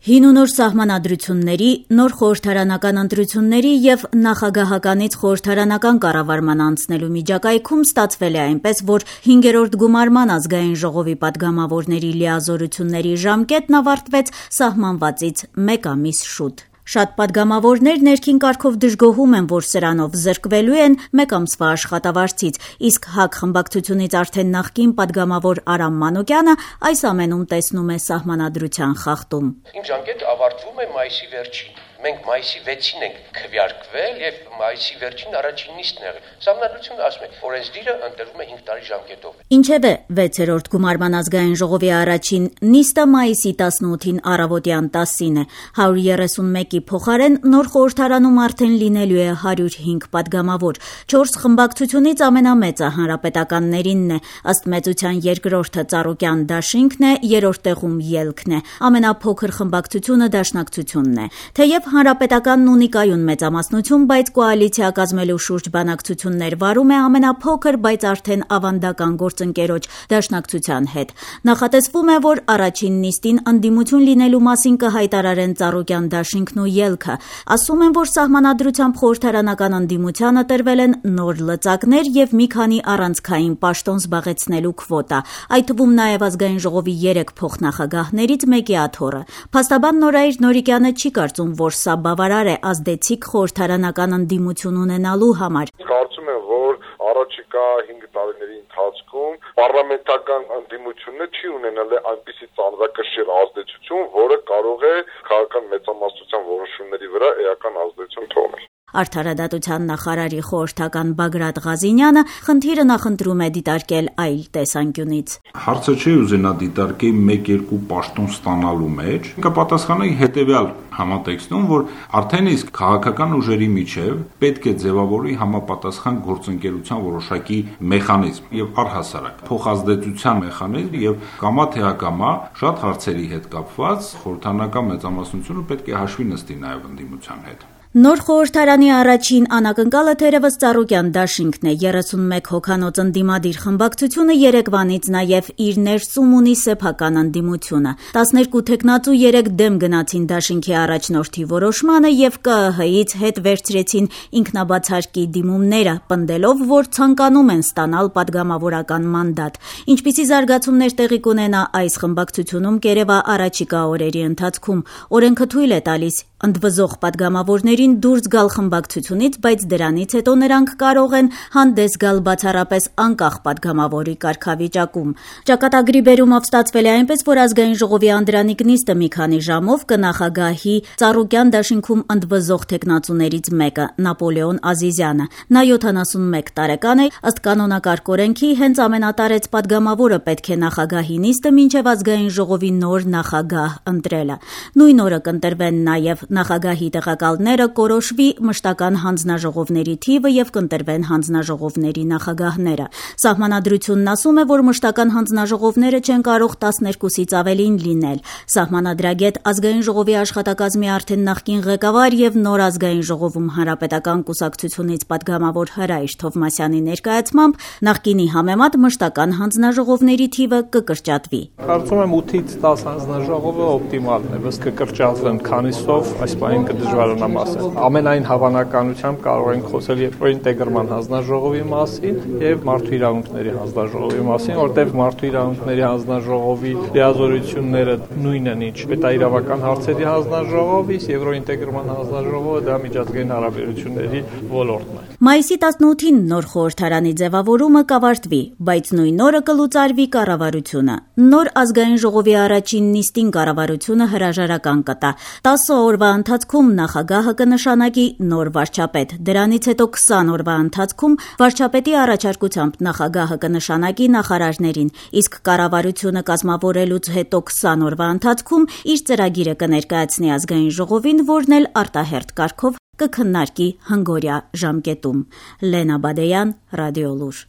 Հին ու նոր սահմանադրությունների, նոր խորհրդարանական ընտրությունների եւ նախագահականից խորհրդարանական կառավարման անցնելու միջակայքում ստացվել է այնպես, որ 5-րդ գումարման ազգային ժողովի պատգամավորների լիազորությունների ժամկետն ավարտվեց սահմանվածից 1 ամիս շուտ։ Շատ պատգամավորներ ներքին կարգով դժգոհում են, որ սրանով զրկվելու են 1 ամսվա աշխատավարձից, իսկ ՀԱԿ խմբակցությունից արդեն նախկին պատգամավոր Արամ Մանուկյանը այս ամենում տեսնում է սահմանադրության խախտում։ Իմ ժամկետը ավարտվում է մայիսի վերջին։ Մենք մայիսի 6-ին ենք քվեարկվել եւ մայիսի վերջին առաջին նիստն եղել։ Սահմանադրությունը ասում է, օրենսդիրը ընտրվում է 5 տարի ժամկետով։ Ինչևէ, 6-րդ գումարման ազգային ժողովի առաջին նիստը մայիսի 18-ին առավոտյան 10-ին է։ 131-ի փոխարեն նոր խորհրդարանում արդեն լինելու է 105 պատգամավոր։ 4 խմբակցությունից ամենամեծը հանրապետականներինն է, ըստ մեծության երկրորդը Ծառուկյան դաշինքն է, երրորդ տեղում Ելքն է, ամենափոքր խմբակցությունը Դաշնակցությունն է։ Թեև հանրապետականն ունի կայուն մեծամասնություն, բայց կոալիցիա կազմելու շուրջ բանակցություններ վարում է ամենափոքր, բայց արդեն ավանդական գործընկերոջ Դաշնակցության հետ։ Նախատեսվում է, որ առաջին նիստին ընդդիմություն լինելու մասին կհայտարարեն Ծառուկյան դաշինքն ու Ելքը։ Ասում են, որ սահմանադրությամբ խորհրդարանական ընդդիմությանը տրվել են նոր լծակներ եւ մի քանի առանցքային պաշտոն զբաղեցնելու քվոտա, այդ թվում նաեւ ազգային ժողովի 3 փոխնախագահներից մեկի աթոռը։ Փաստաբան Նորայր Նորիկյանը չի կարծում, որ սա բավարար է ազդեցիկ խորհրդարանական ընդդիմություն ունենալու համար։ Կարծում եմ, որ առաջիկա 5 տարիների ընթացքում պարլամենտական ընդդիմությունը չի ունենալ այնպիսի ծանրակշիռ ազդեցություն, որը կարող է քաղաքական մեծամասնության որոշումների վրա էական ազդեցություն թողնել։ Արդարադատության նախարարի խորհրդական Բագրատ Ղազինյանը խնդիրը նախընտրում է դիտարկել այլ տեսանկյունից։ Հարցը չի ուզենա դիտարկել 1-2 պաշտոն ստանալու մեջ, կպատասխանի հետևյալ համատեքստում, որ արդեն իսկ քաղաքական ուժերի միջև պետք է ձևավորի համապատասխան գործընկերության որոշակի մեխանիզմ եւ առհասարակ փոխազդեցության մեխանիզմ եւ կամա թե ակամա շատ հարցերի հետ կապված խորհրդարանական մեծամասնությունը պետք է հաշվի նստի նաեւ ընդդիմության հետ։ Նոր խորհրդարանի առաջին անակնկալը թերևս Ծառուկյան դաշինքն է, 31 հոգանոց ընդդիմադիր խմբակցությունը երեկվանից նաև իր ներսում ունի սեփական ընդդիմությունը։ 12 թեկնածու 3 դեմ գնացին դաշինքի առաջնորդի որոշմանը եւ ԿԸՀ-ից հետ վերցրեցին ինքնաբացարկի դիմումները, պնդելով, որ ցանկանում են ստանալ падգամավորական մանդատ։ Ինչպիսի զարգացումներ տեղի կունենա այս խմբակցությունում կերևա առաջիկա օրերի ընթացքում։ Օրենքը թույլ է տալիս ընդվզող падգամավորներին դուրս գալ խմբակցությունից, բայց դրանից հետո նրանք կարող են հանդես գալ բացառապես անկախ падգամավորի կարգավիճակում։ Ճակատագրի բերումով ստացվել է այնպես, որ ազգային ժողովի անդրանիկ նիստը մի քանի ժամով կնախագահի Ծառուկյան դաշինքում ընդվզող թեկնածուներից մեկը՝ Նապոլեոն Ազիզյանը։ Նա 71 տարեկան է, ըստ կանոնակարգ օրենքի հենց ամենատարեց падգամավորը պետք է նախագահի նիստը մինչև ազգային ժողովի նոր նախագահ ընտրելը։ Նույն օրը կընտրվեն նաև նախագահի տեղակալները, կորոշվի մշտական հանձնաժողովների թիվը եւ կընտրվեն հանձնաժողովների նախագահները։ Սահմանադրությունն ասում է, որ մշտական հանձնաժողովները չեն կարող 12-ից ավելին լինել։ Սահմանադրագետ ազգային ժողովի աշխատակազմի արդեն նախկին ղեկավար եւ նոր ազգային ժողովում հանրապետական կուսակցությունից падգամավոր Հրայր Թովմասյանի ներկայացմամբ նախկինի համեմատ մշտական հանձնաժողովների թիվը կկրճատվի։ Կարծում եմ 8-ից 10 հանձնաժողովը օպտիմալն է, ըստ կկրճատվեն քանիսով այս բանին կդժվարանա ասել։ Ամենայն հավանականությամբ կարող ենք խոսել երկրորդ ինտեգրման հանձնաժողովի մասին եւ մարդու իրավունքների հանձնաժողովի մասին, որտեղ մարդու իրավունքների հանձնաժողովի լիազորությունները նույնն են, ինչ պետաիրավական հարցերի հանձնաժողովի, երկրորդ ինտեգրման հանձնաժողովը դա միջազգային հարաբերությունների ոլորտն է։ Մայիսի 18-ին նոր խորհրդարանի ձևավորումը կավարտվի, բայց նույն օրը կլուծարվի կառավարությունը։ Նոր ազգային ժողովի առաջին նիստին կառավարությունը հրաժարական կտա։ 10 օրվա ընթացքում նախագահը կնշանակի նոր վարչապետ։ Դրանից հետո 20 օրվա ընթացքում վարչապետի առաջարկությամբ նախագահը կնշանակի նախարարներին, իսկ կառավարությունը կազմավորելուց հետո 20 օրվա ընթացքում իր ծրագիրը կներկայացնի ազգային ժողովին, որն էլ արտահերթ կարգով կքննարկի հնգօրյա ժամկետում։ Լենա Բադեյան, Ռադիոլուր։